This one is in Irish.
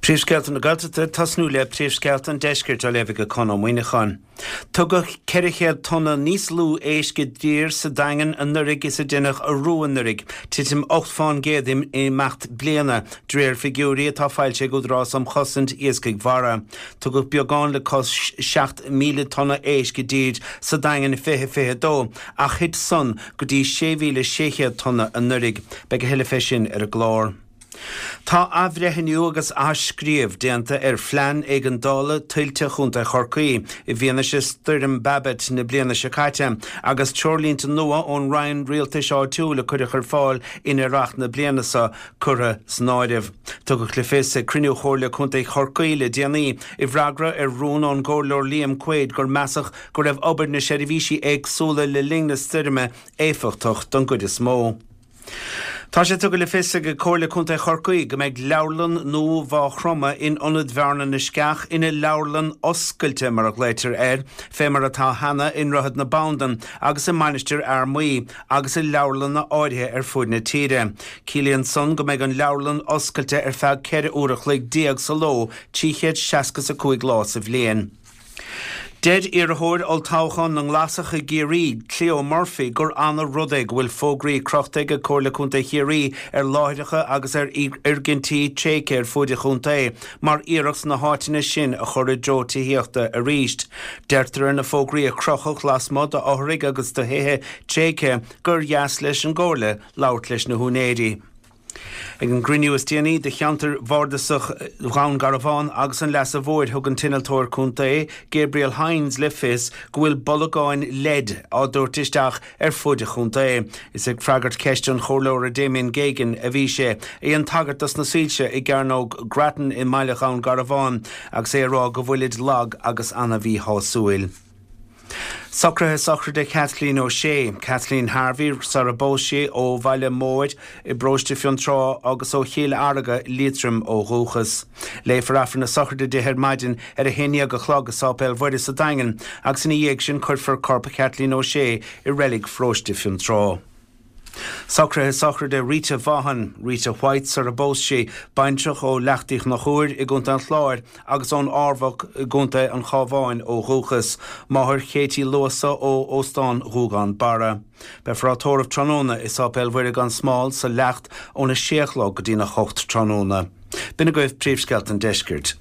Príomhscéalta na Gaeltachta ag tosnú le Príomhscéalta an Deiscirt á léamh ag Conn Ó Muíneacháin. Tugadh 400 tonna níos lú éisc i dtír sa Daingean anuraidh is a deineadh arú anuraidh, titim 8 fán gcéad in imeacht bliana, de réir figiúirí atá foilsithe ag Údarás um Chosaint Iascaigh Mhara. Tugadh beagán le cois 7,000 tonna éisc i dtír sa Daingean i 2022 ach thit san go dtí 6,600 tonna anuraidh. Beidh a thuilleadh fé sin ar an gclár. Tá athbhreithniú agus athscríobh déanta ar Phlean Éigeandála Tuilte Chontae Chorcaí i bhfianaise Stoirm Babet na bliana seo caite agus treoirlínte nua ón Roinn Rialtais Áitiúil a cuireadh ar fáil in earrach na bliana seo curtha san áireamh. Tugadh le fios ag cruinniú Chomhairle Contae Chorcaí le déanaí i bhfreagra ar rún ón gComhairleoir Liam Quaide gur measadh go raibh obair na seirbhísí éagsúla le linn na stoirme éifeachtach don gcuid is mó. Tá sé tugtha le fios ag Comhairle Contae Chorcaí go mbeidh leabharlann nua Mhaigh Chromtha in Ionad Bhearna na Sceach ina leabharlann oscailte, mar a ghlaoitear air, fé mar atá cheana i nDroichead na Bandan agus i Mainistir Fhear Maí agus i leabharlanna áirithe ar fuaid na tíre. Ciallaíonn san go mbeidh an leabharlann oscailte ar feadh 14 uair a chloig sa ló, 365 lá sa bhliain. Deir iarrthóir olltoghcháin na nGlasach i gCiarraí, Cleo Murphy, gur ana-rud é go bhfuil fógraí crochta ag Comhairle Contae Chiarraí ar láithreacha agus ar fhoirgintí tréigthe ar fuaid an chontae mar iarracht na háiteanna sin a chur i dtreo tithíochta arís. Deirtear ar na fógraí a crochadh lasmuigh d'fhothraigh agus de thithe tréigthe gur dheas leis an gComhairle labhairt leis na húinéirí. Ag an gcruinniú is déanaí de cheantar bhardasach Dhún Garbhán agus an Leasa Mhóir thug an t-innealtóir contae, Gabriel Hynes le fios go bhfuil bolgáin leid á dtabhairt isteach ar fuaid an chontae. Is ag freagairt ceiste an Chomhairleora Damien Geoghegan a bhí sé, a dhein tagairt dos na soilse i gCearnóg Grattan i mbaile Dhún Garbhán agus é ag rá go bhfuilid lag agus ana-mhíshásúil. Socruithe sochraide Kathleen O'Shea, Kathleen Harvey sara bpós sí, ó Bhaile Móir i bparóiste Fionntrá agus ó Chill Fharga, Liatroim ó dhúchas. Léifear Aifreann na sochraide di ar maidin ar a haon dhéag a chlog i Sáipéal Mhuire sa Daingean agus ina dhiaidh sin cuirfear corp Kathleen O'Shea i reilig pharóiste Fionntrá. Socruithe sochraide Rita Vaughan, Rita White sara bpós sí, baintreach ó Leacht Uí Chonchúir i gContae an Chláir agus ón Armhach i gContae an Chabháin ó dhúchas, máthair Katie Luasa ó Óstán Ghuagán Barra. Beifear á tórramh tráthnóna i Sáipéal Mhuire gan Smál sa Leacht óna sé a chlog go dtína hocht tráthnóna. B'in agaibh príomhscéalta an deiscirt.